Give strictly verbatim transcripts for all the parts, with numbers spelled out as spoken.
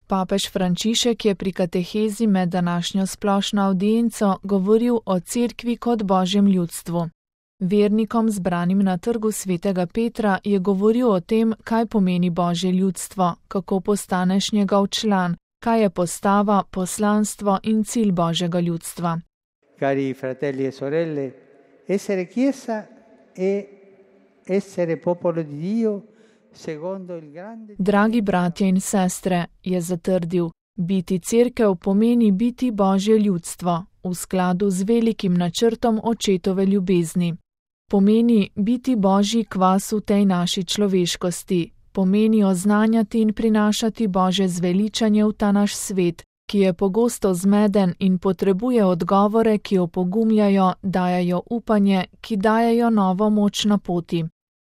Papež Frančišek je pri katehezi med današnjo splošno avdienco govoril o Cerkvi kot Božjem ljudstvu. Vernikom zbranim na trgu svetega Petra je govoril o tem, kaj pomeni Božje ljudstvo, kako postaneš njegov član, kaj je postava, poslanstvo in cilj Božjega ljudstva. Cari fratelli e sorelle, essere chiesa e essere popolo di Dio secondo il grande... Dragi bratje in sestre, je zatrdil, biti cerkev pomeni biti Božje ljudstvo, v skladu z velikim načrtom očetove ljubezni. Pomeni biti Božji kvas v tej naši človeškosti, pomeni oznanjati in prinašati Božje zveličanje v ta naš svet, ki je pogosto zmeden in potrebuje odgovore, ki opogumljajo, dajajo upanje, ki dajajo novo moč na poti.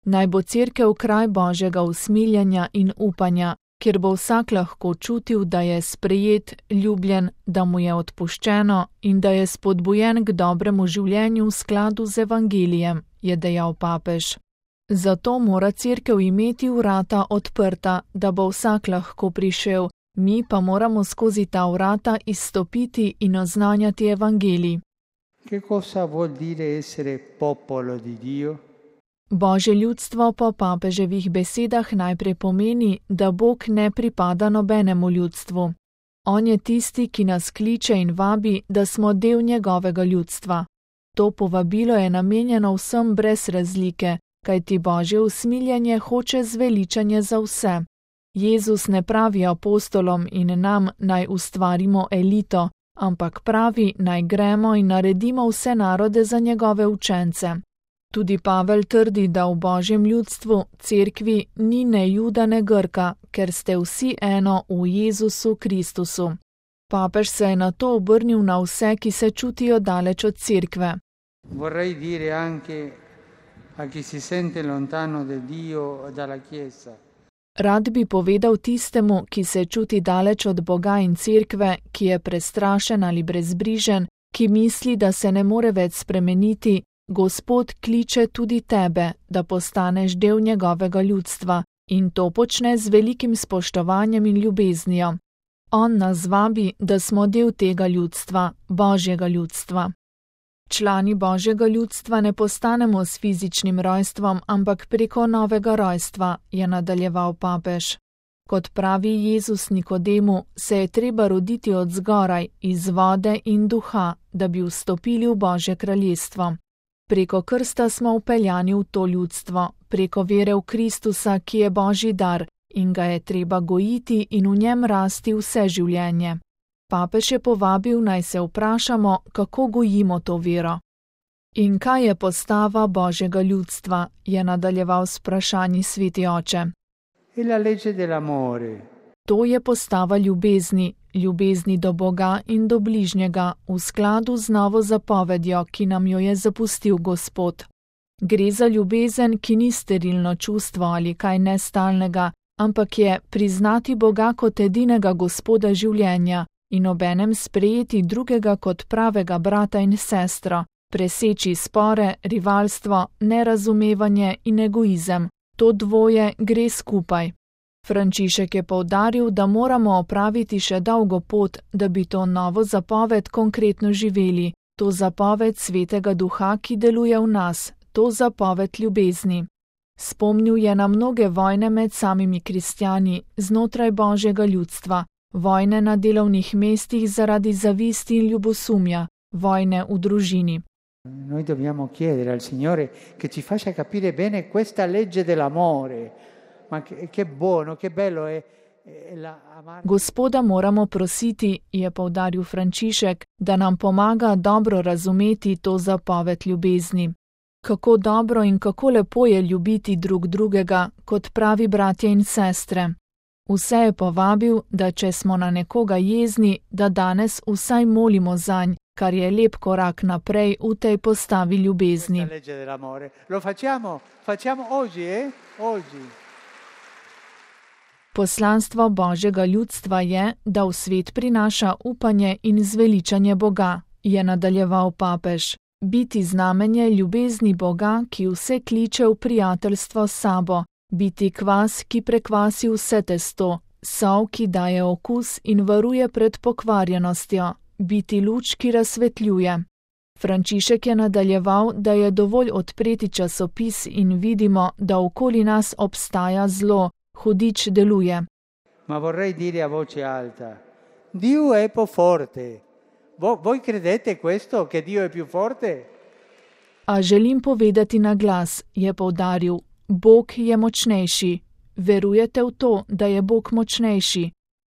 Naj bo cerkev kraj Božjega usmiljenja in upanja, kjer bo vsak lahko čutil, da je sprejet, ljubljen, da mu je odpuščeno in da je spodbujen k dobremu življenju v skladu z evangelijem, je dejal papež. Zato mora cerkev imeti vrata odprta, da bo vsak lahko prišel, mi pa moramo skozi ta vrata izstopiti in oznanjati evangelij. Che cosa vuol dire essere popolo di Dio? Božje ljudstvo po papeževih besedah najprej pomeni, da Bog ne pripada nobenemu ljudstvu. On je tisti, ki nas kliče in vabi, da smo del njegovega ljudstva. To povabilo je namenjeno vsem brez razlike, kajti Božje usmiljenje hoče zveličanje za vse. Jezus ne pravi apostolom in nam naj ustvarimo elito, ampak pravi naj gremo in naredimo vse narode za njegove učence. Tudi Pavel trdi, da v Božjem ljudstvu, cerkvi, ni ne Juda ne Grka, ker ste vsi eno v Jezusu Kristusu. Papež se je na to obrnil na vse, ki se čutijo daleč od cerkve. Vorrei dire anche a chi si sente lontano da Dio e dalla Chiesa. Rad bi povedal tistemu, ki se čuti daleč od Boga in cerkve, ki je prestrašen ali brezbrižen, ki misli, da se ne more več spremeniti, Gospod kliče tudi tebe, da postaneš del njegovega ljudstva in to počne z velikim spoštovanjem in ljubeznijo. On nas vabi, da smo del tega ljudstva, Božjega ljudstva. Člani Božjega ljudstva ne postanemo s fizičnim rojstvom, ampak preko novega rojstva, je nadaljeval papež. Kot pravi Jezus Nikodemu, se je treba roditi od zgoraj, iz vode in duha, da bi vstopili v Božje kraljestvo. Preko krsta smo vpeljani v to ljudstvo, preko vere v Kristusa, ki je Božji dar in ga je treba gojiti in v njem rasti vse življenje. Papež je povabil, naj se vprašamo, kako gojimo to vero. In kaj je postava Božjega ljudstva, je nadaljeval s vprašanji sveti oče. E la legge dell'amore. To je postava ljubezni, ljubezni do Boga in do bližnjega, v skladu z novo zapovedjo, ki nam jo je zapustil Gospod. Gre za ljubezen, ki ni sterilno čustvo ali kaj nestalnega, ampak je priznati Boga kot edinega Gospoda življenja in obenem sprejeti drugega kot pravega brata in sestro, preseči spore, rivalstvo, nerazumevanje in egoizem. To dvoje gre skupaj. Frančišek je poudaril, da moramo opraviti še dolgo pot, da bi to novo zapoved konkretno živeli, to zapoved Svetega Duha, ki deluje v nas, to zapoved ljubezni. Spomnil je na mnoge vojne med samimi kristjani, znotraj Božjega ljudstva, vojne na delovnih mestih zaradi zavisti in ljubosumja, vojne v družini. Noi dobbiamo chiedere al Signore che ci faccia capire bene questa legge dell'amore. Ma che, che buono, che bello è, è la amare. Gospoda moramo prositi, je poudaril Frančišek, da nam pomaga dobro razumeti to zapoved ljubezni. Kako dobro in kako lepo je ljubiti drug drugega, kot pravi bratje in sestre. Vse je povabil, da če smo na nekoga jezni, da danes vsaj molimo zanj, kar je lep korak naprej v tej postavi ljubezni. Lo facciamo, facciamo oggi, eh? Oggi. Poslanstvo Božjega ljudstva je, da v svet prinaša upanje in zveličanje Boga, je nadaljeval papež. Biti znamenje ljubezni Boga, ki vse kliče v prijateljstvo s sabo, biti kvas, ki prekvasi vse testo, sol, ki daje okus in varuje pred pokvarjenostjo, biti luč, ki razsvetljuje. Frančišek je nadaljeval, da je dovolj odpreti časopis in vidimo, da okoli nas obstaja zlo, hudič deluje. Ma vorrei dire a voce alta, Dio è più forte. Voi credete questo, che Dio è più forte? A želim povedati na glas, je poudaril, Bog je močnejši. Verujete v to, da je Bog močnejši?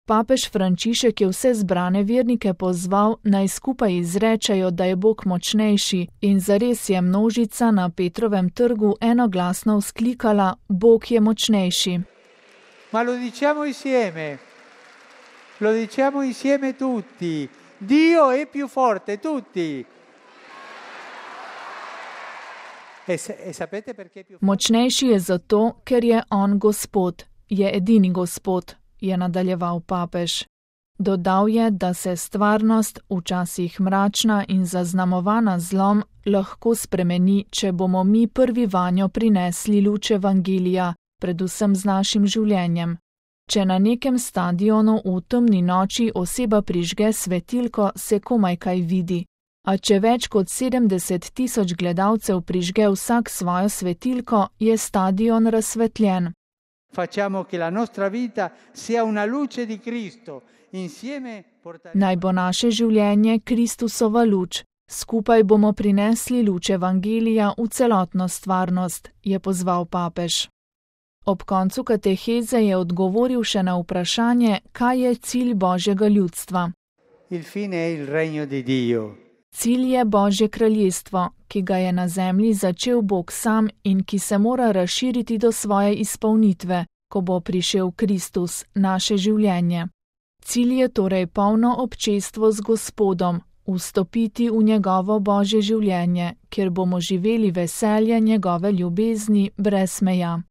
Papež Frančišek je vse zbrane vernike pozval, naj skupaj izrečejo, da je Bog močnejši, in zares je množica na Petrovem trgu enoglasno vzklikala, Bog je močnejši. Ma lo diciamo insieme, lo diciamo insieme tutti, Dio è più forte, tutti. E se, e sapete perché è più forte? Močnejši je zato, ker je on Gospod, je edini Gospod, je nadaljeval papež. Dodal je, da se stvarnost, včasih mračna in zaznamovana zlom, lahko spremeni, če bomo mi prvi vanjo prinesli luč evangelija, predvsem z našim življenjem. Če na nekem stadionu v temni noči oseba prižge svetilko, se komaj kaj vidi. A če več kot sedemdeset tisoč gledalcev prižge vsak svojo svetilko, je stadion razsvetljen. Facciamo che la nostra vita sia una luce di Cristo. Insieme portaremo... Naj bo naše življenje Kristusova luč. Skupaj bomo prinesli luč evangelija v celotno stvarnost, je pozval papež. Ob koncu kateheze je odgovoril še na vprašanje, kaj je cilj Božjega ljudstva. Il fine è il regno di Dio. Cilj je Božje kraljestvo, ki ga je na zemlji začel Bog sam in ki se mora razširiti do svoje izpolnitve, ko bo prišel Kristus, naše življenje. Cilj je torej polno občestvo z Gospodom, vstopiti v njegovo Božje življenje, kjer bomo živeli veselje njegove ljubezni brez meja.